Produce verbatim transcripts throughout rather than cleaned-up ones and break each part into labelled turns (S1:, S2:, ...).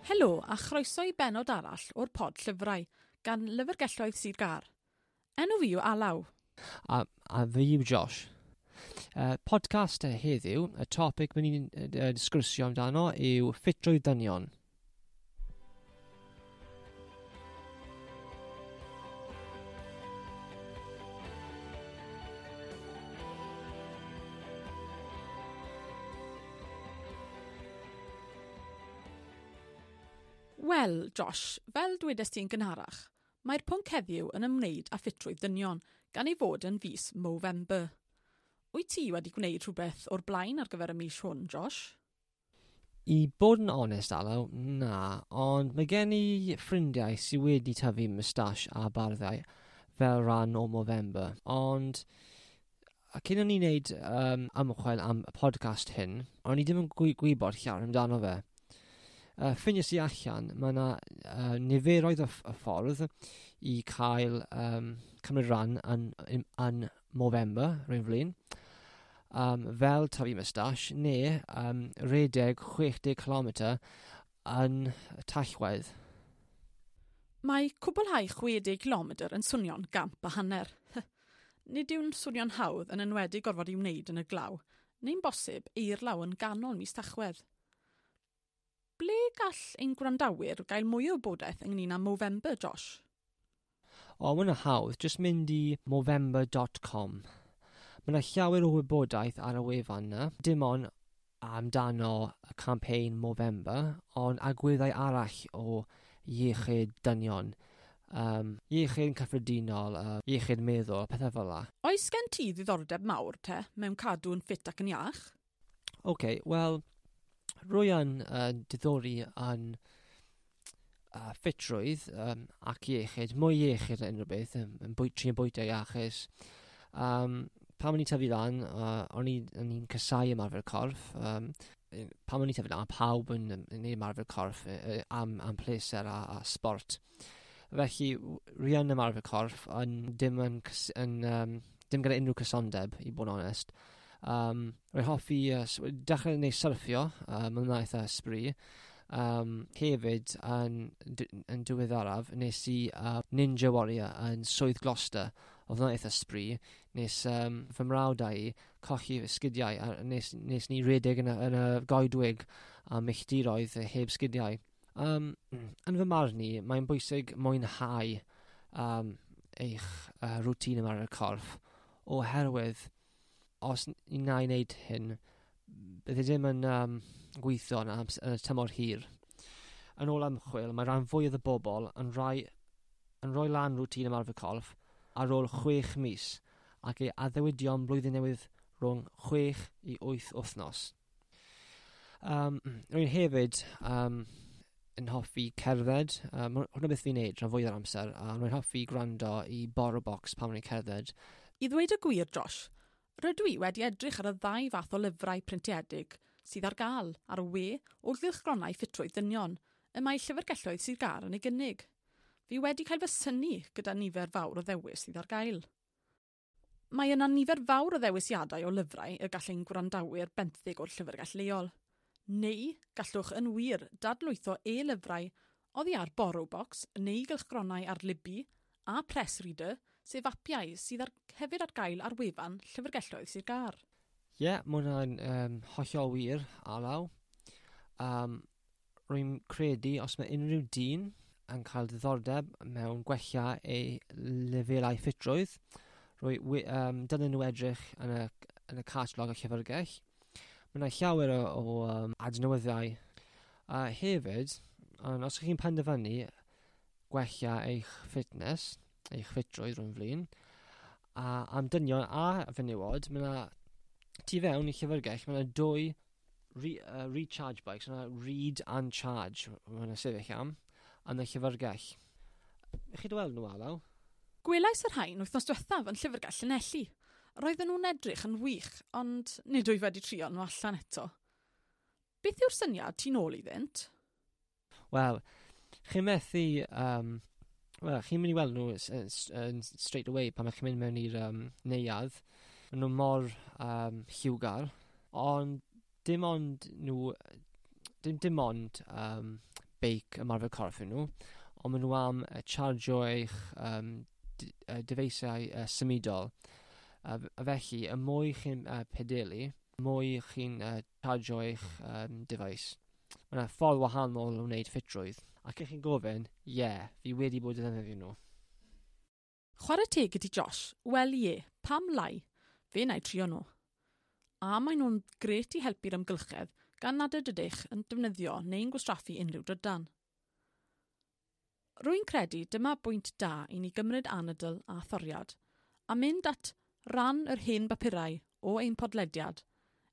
S1: Helo a chroeso i bennod arall o'r pod llyfrau gan Lyfrgelloedd Sir Gâr. Enw fi yw Alaw.
S2: A, a fi yw Josh. Uh, podcast heddiw, y topic mynd i'n uh, sgwrsio amdano yw ffitrwydd dynion.
S1: Wel, Josh, fel dwedais ti'n gynharach, mae'r pwnc heddiw yn ymwneud â ffitrwydd dynion, gan ei fod yn fis Movember. Wyt ti wedi gwneud rhywbeth o'r blaen ar gyfer y mis hwn, Josh?
S2: I bod yn onest, Alaw, na, ond mae gen i ffrindiau sydd wedi tyfu moustache a barddau fel rhan o Movember, ond cyn o'n i wneud um, ymchwil am y podcast hyn, o'n i ddim yn gwy gwybod llawer amdano fe. Uh, Ffindiais i allan, mae yna uh, niferoedd o, o ffordd i cael um, cymryd rhan yn, yn, yn Movember, rwy'n flin, um, fel tyfu moustache, neu um, redeg chwech deg kilometr yn Tachwedd.
S1: Mae cwblhau chwe deg kilometr yn swnio'n gamp a hanner. Nid yw'n swnio'n hawdd yn enwedig gorfod i wneud yn y glaw, neu'n bosib eirlaw yn ganol mis Tachwedd. Ble gall ein gwrandawyr gael mwy o wybodaeth ynglyn â Movember, Josh?
S2: O, mae hwnna hawdd. Just mynd i movember dot com. Mae yna llawer o wybodaeth ar y wefan yna. Dim ond amdano y campaign Movember, ond agweddau arall o iechyd dynion. Um, iechyd yn cyffredinol, uh, iechyd meddwl, pethau fel la.
S1: Oes gen ti ddiddordeb mawr te mewn cadw yn ffit ac yn iach?
S2: Oce, okay, wel, rwy yn uh, diddori yn uh, ffitrwydd um, ac iechyd, mwy iechyd yn unrhyw beth, yn, yn bwy, trin bwyta iachus. Um, pan o'n i'n tyfu lan, uh, o'n i'n casáu ymarfer corff. Um, pan o'n i'n tyfu lan, pawb yn, yn yn ymarfer corff uh, am, am pleser a, a sport. Felly, rwy yn ymarfer corff, yn dim, yn, yn, um, dim gyda unrhyw cysondeb, i bod yn onest. Um, rwy'n hoffi uh, dechrau neu syrffio, uh, mae'n hwnna eitha sbri. Um, hefyd, yn, yn diweddaraf, nes i uh, Ninja Warrior yn Swydd Gloucester. Oedd hwnna eitha sbri. Nes um, fy mrawd a i colli sgidiau, a nes, nes ni redeg yn y, yn y goedwig a milltiroedd heb sgidiau. Um, yn fy marn i, mae'n bwysig mwynhau um, eich uh, rwtîn yma ar y corff, oherwydd os ni na i wneud hyn, bydde ddim yn um, gweithio yn, yn y tymor hir. Yn ôl ymchwil, mae rhan fwyaf o bobl yn, rhai, yn rhoi lan rwtîn ymarfer corff ar ôl chwech mis ac ei addewidion blwyddyn newydd rhwng chwech i wyth wythnos. Um, rwy'n hefyd um, yn hoffi cerdded. Um, hwnna beth fi'n neud rhan fwyaf o'r amser. A rwy'n hoffi gwrando i Borrow Box pan rwy'n cerdded.
S1: I ddweud y gwir, Josh, rydw i wedi edrych ar y ddau fath o lyfrau printiedig sydd ar gael ar y we o gylchgronau ffitrwydd dynion y mae llyfrgelloedd Sir Gâr yn ei gynnig. Fi wedi cael fy synnu gyda nifer fawr o ddewis sydd ar gael. Mae yna nifer fawr o ddewisiadau o lyfrau y gall ein gwrandawyr benthyg o'r llyfrgell leol. Neu gallwch yn wir dadlwytho e-lyfrau oddi ar Borrowbox neu gylchgronau ar Libby a Press Reader, sef apiau sydd ar, hefyd ar gael ar wefan Llyfrgelloedd Sir Gâr.
S2: Ie, yeah, mae hwnna'n um, hollol wir, Alaw. Um, rwy'n credu os mae unrhyw dyn yn cael diddordeb mewn gwella ei lefelau ffitrwydd, rwy, um, dylen nhw edrych yn y, yn y catalog y llyfrgell. Mae yna llawer o, o um, adnoddau. A hefyd, ond os ydych chi'n penderfynu gwella eich fitness, eich ffitrwydd rwy'n flin, a am dynion a fenywod, mae yna tu fewn i llyfrgell, mae yna dwy re, uh, recharge bikes, mae yna read and charge, mae yna sefyll am, yn y llyfrgell. Chi wedi weld nhw, Alaw?
S1: Gwelais yr rhain wythnos diwethaf yn llyfrgell Llanelli. Roedden nhw'n edrych yn wych, ond nid wyf wedi trio nhw allan eto. Beth yw'r syniad tu nôl iddynt?
S2: Wel, chi'n methu... Um, Wel, chi'n mynd i weld nhw yn straight away pan chi'n mynd mewn i'r um, neuadd. Maen nhw mor um, lliwgar, ond dim ond nhw, dim, dim ond um, beic ymarfer corff nhw, ond maen nhw am uh, chargio eich um, uh, dyfeisiau uh, symudol. Uh, a felly, y mwy chi'n uh, pedelu, y mwy chi'n uh, chargio eich um, device. Mae yna ffordd wahanol o wneud ffitrwydd. Ac ych chi'n gofyn, ie, yeah, fi wedi bod yn ddefnyddio nhw.
S1: Chwarae teg ydi Josh, wel ie, pam lai? Fe wna i trio nhw. A maen nhw'n gret i helpu'r amgylchedd gan nad ydych yn defnyddio neu'n gwastraffu unrhyw drydan. Rwy'n credu dyma bwynt da i ni gymryd anadl a thoriad, a mynd at ran yr hen bapurau o ein podlediad,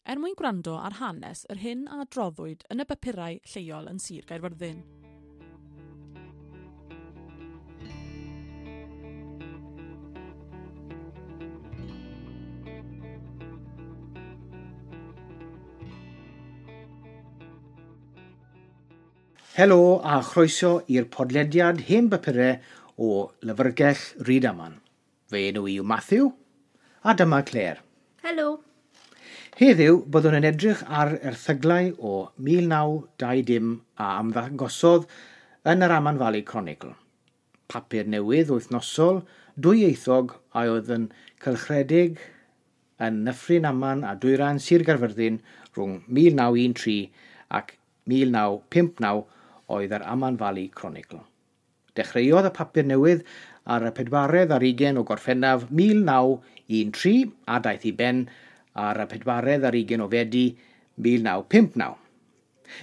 S1: er mwyn gwrando ar hanes yr hyn a adroddwyd yn y bapurau lleol yn Sir Gaerfyrddin.
S3: Helo a chroeso i'r podlediad hen bapurau o Lyfrgell Rydaman. Fe enw i yw Matthew a dyma Claire.
S4: Helo.
S3: Heddiw byddwn yn edrych ar erthyglau o mil naw dau dim a ymddangosodd yn yr Amman Valley Chronicle. Papur newydd wythnosol, dwyieithog a oedd yn cylchredeg yn Nyffryn Aman a Dwyrain Sir Gaerfyrddin rhwng mil naw un tri ac mil naw pump naw oedd yr Amman Valley Chronicle. Dechreuodd y papur newydd ar y pedwaredd ar ugain o Gorffennaf mil naw un tri a daeth i ben ar y pedwaredd ar ugain o Fedi mil naw pump naw.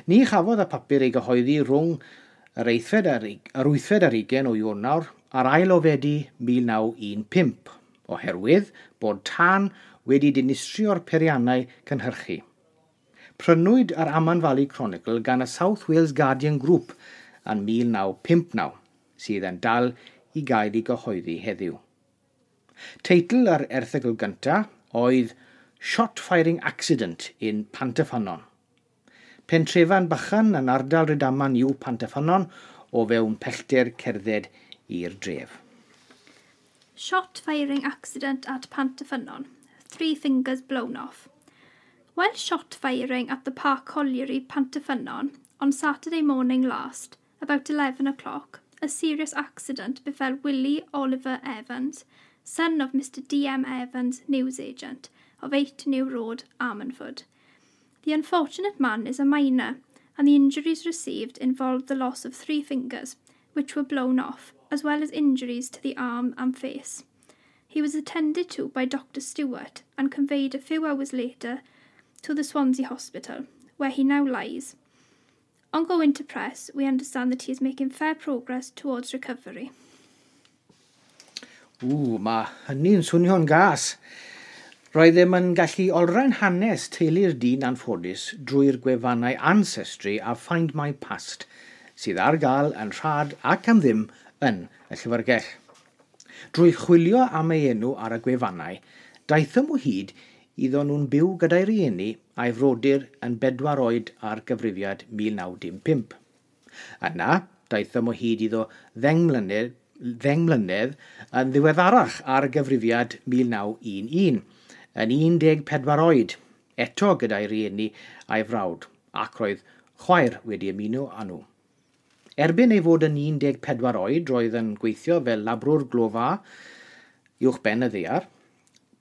S3: Ni chafodd y papur ei gyhoeddi rhwng yr eighfed ar, yr wythfed ar ugain o Ionawr a'r ail o Fedi mil naw un pump, oherwydd bod tân wedi dinistrio'r peiriannau cynhyrchu. Prynwyd yr Amman Valley Chronicle gan y South Wales Guardian Group yn mil naw pump naw, sydd yn dal i gael ei gyhoeddi heddiw. Teitl yr erthygl gyntaf oedd Shot Firing Accident in Pantyffynnon. Pentrefan bychan yn ardal Rydaman yw Pantyffynnon o fewn pellter cerdded i'r dref.
S4: Shot firing accident at Pantyffynnon. Three fingers blown off. While shot firing at the Park Colliery, Pantyffynnon, on Saturday morning last, about eleven o'clock, a serious accident befell Willie Oliver Evans, son of Mister D M Evans, newsagent, of eight New Road, Ammanford. The unfortunate man is a miner, and the injuries received involved the loss of three fingers, which were blown off, as well as injuries to the arm and face. He was attended to by Doctor Stewart and conveyed a few hours later to the Swansea Hospital, where he now lies. On going to press, we understand that he is making fair progress towards recovery.
S3: Ww, mae hynny'n swnio'n gas. Roedd ddim yn gallu olrhain hanes teulu'r dyn anffodus drwy'r gwefannau Ancestry a Find My Past, sydd ar gael yn rhad ac am ddim yn y llyfrgell. Drwy chwilio am ei enw ar y gwefannau, daethom o hyd iddo nhw'n byw gyda'i rieni a'i frodyr yn bedwar oed ar gyfrifiad mil naw dim pump. Yna, daethom o hyd iddo ddeng mlynedd, ddeng mlynedd yn ddiweddarach ar gyfrifiad mil naw un un, yn un deg pedwar oed, eto gyda'i rieni a'i frawd, ac roedd chwaer wedi ymuno â nhw. Erbyn ei fod yn un deg pedwar oed, roedd yn gweithio fel labrwr glofa uwch ben y ddaear.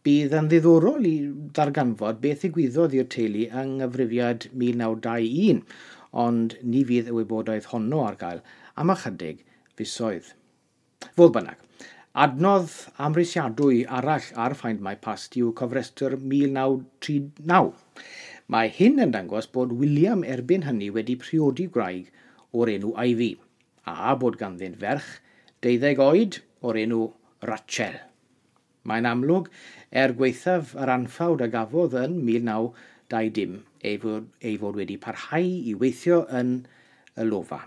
S3: Bydd yn ddiddorol i ddarganfod beth ddigwyddodd i'r teulu yng nghyfrifiad mil naw dau un, ond ni fydd y wybodaeth honno ar gael am ychydig fisoedd. Fodd bynnag, adnodd amhrisiadwy arall ar Find My Past yw cofrestr mil naw tri naw. Mae hyn yn dangos bod William erbyn hynny wedi priodi gwraig o'r enw Ivy, a bod ganddynt ferch deuddeg oed o'r enw Rachel. Mae'n amlwg, er gwaethaf yr anffawd a gafodd yn mil naw dau dim, ei fod, ei fod wedi parhau i weithio yn y lofa.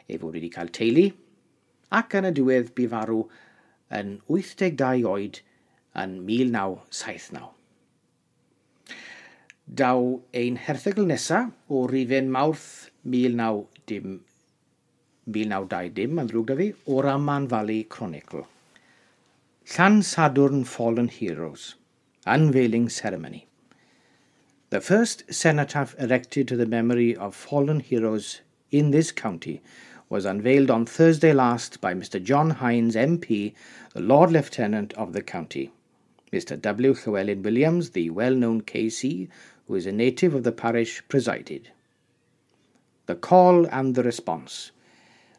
S3: Ei fod wedi cael teulu, ac yn y diwedd bu farw yn wyth deg dau oed yn mil naw saith naw. Daw ein herthygl nesaf o rifyn Mawrth mil naw dim, mil naw dau dim, yn ddrwg da fi, o'r Amman Valley Chronicle. Llansadwrn Fallen Heroes, Unveiling Ceremony. The first cenotaph erected to the memory of fallen heroes in this county was unveiled on Thursday last by Mr John Hines M P, the Lord Lieutenant of the county. Mr W. Llewellyn Williams, the well-known K C, who is a native of the parish, presided. The call and the response.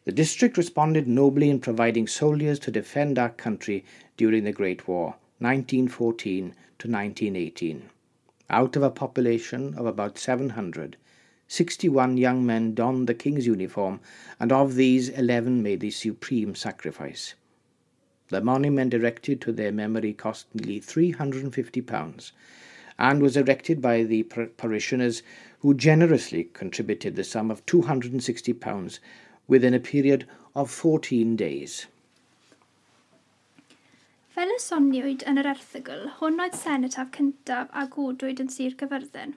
S3: The district responded nobly in providing soldiers to defend our country during the Great War, nineteen fourteen to nineteen eighteen. Out of a population of about seven hundred, sixty-one young men donned the king's uniform, and of these eleven made the supreme sacrifice. The monument erected to their memory cost nearly three hundred and fifty pounds, and was erected by the par- parishioners who generously contributed the sum of two hundred and sixty pounds within a period of fourteen days.
S4: Fel y soniwyd yn yr erthygl, hwn oedd senotaf cyntaf a godwyd yn Sir Gaerfyrddin.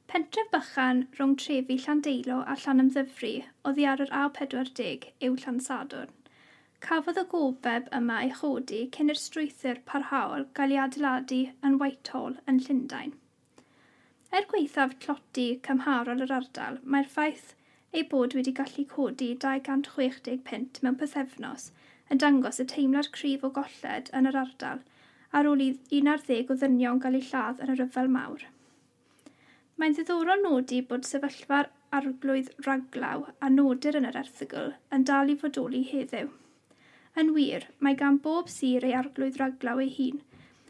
S4: Pentref bychan rhwng trefi Llandeilo a Llanymddyfri oddi ar yr A pedwar deg yw Llansadwrn. Cafodd y gofeb yma ei chodi cyn i'r strwythur parhaol gael ei adeiladu yn Whitehall yn Llundain. Er gwaethaf tlodi cymharol yr ardal, mae'r ffaith ei bod wedi gallu codi dau gant chwech deg punt mewn pythefnos yn dangos y teimlad cryf o golled yn yr ardal ar ôl i un ar ddeg o ddynion gael eu lladd yn y rhyfel mawr. Mae'n ddiddorol nodi bod sefyllfa'r arglwydd raglaw a nodir yn yr erthygl yn dal i fodoli heddiw. Yn wir, mae gan bob sir ei arglwydd raglaw ei hun,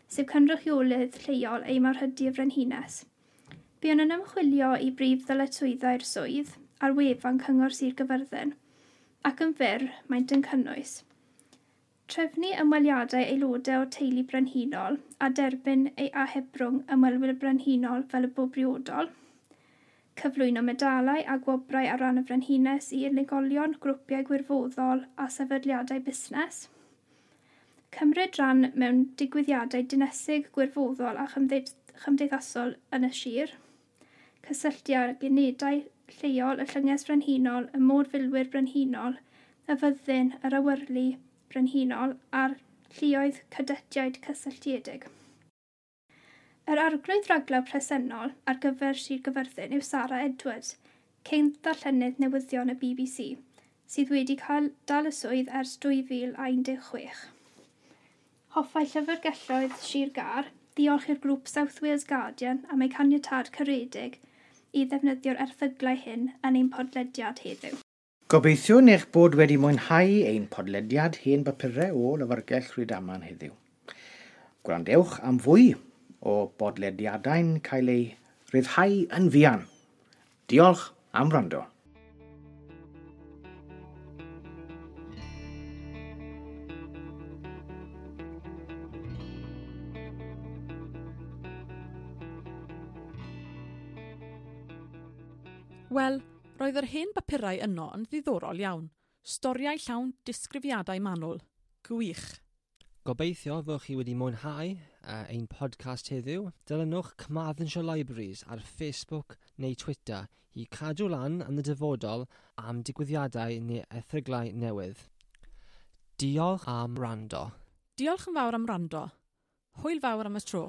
S4: sef cynrychiolydd lleol ei mawrhydi y frenhines. Buon yn ymchwilio i brif ddyletswyddau'r swydd ar wefan Cyngor Sir Gaerfyrddin, ac yn fyr maent yn cynnwys trefnu ymweliadau aelodau o'r teulu brenhinol a derbyn ei ahebrwng ymwelwyr brenhinol fel y bo briodol, cyflwyno medalau a gwobrau ar ran y frenhines i unigolion, grwpiau gwirfoddol a sefydliadau busnes, cymryd rhan mewn digwyddiadau dinesig gwirfoddol a chymdeithasol yn y sir, cysylltu ag unedau lleol y Llynges Frenhinol, y Môr-filwyr Brenhinol, y Fyddin, yr Awyrlu Brenhinol a'r lluoedd cadetiaid cysylltiedig. Yr arglwydd raglaw presennol ar gyfer Sir Gaerfyrddin yw Sarah Edwards, cyn ddarllenydd newyddion y B B C, sydd wedi cael dal y swydd ers dwy fil a un deg chwech. Hoffai llyfrgelloedd Sir Gâr ddiolch i'r grŵp South Wales Guardian am eu caniatâd caredig i ddefnyddio'r erthyglau hyn yn ein podlediad heddiw.
S3: Gobeithiwn eich bod wedi mwynhau ein podlediad hen bapurau o Lyfrgell Rhydaman heddiw. Gwrandewch am fwy o bodlediadau'n cael eu rhyddhau yn fuan. Diolch am wrando.
S1: Wel, roedd yr hen bapurau yno yn ddiddorol iawn. Storiau llawn disgrifiadau manwl. Gwych.
S2: Gobeithio fod chi wedi mwynhau uh, ein podcast heddiw. Dilynwch Carmarthenshire Libraries ar Facebook neu Twitter i cadw lan yn y dyfodol am digwyddiadau neu erthyglau newydd. Diolch am wrando.
S1: Diolch yn fawr am wrando. Hwyl fawr am y tro.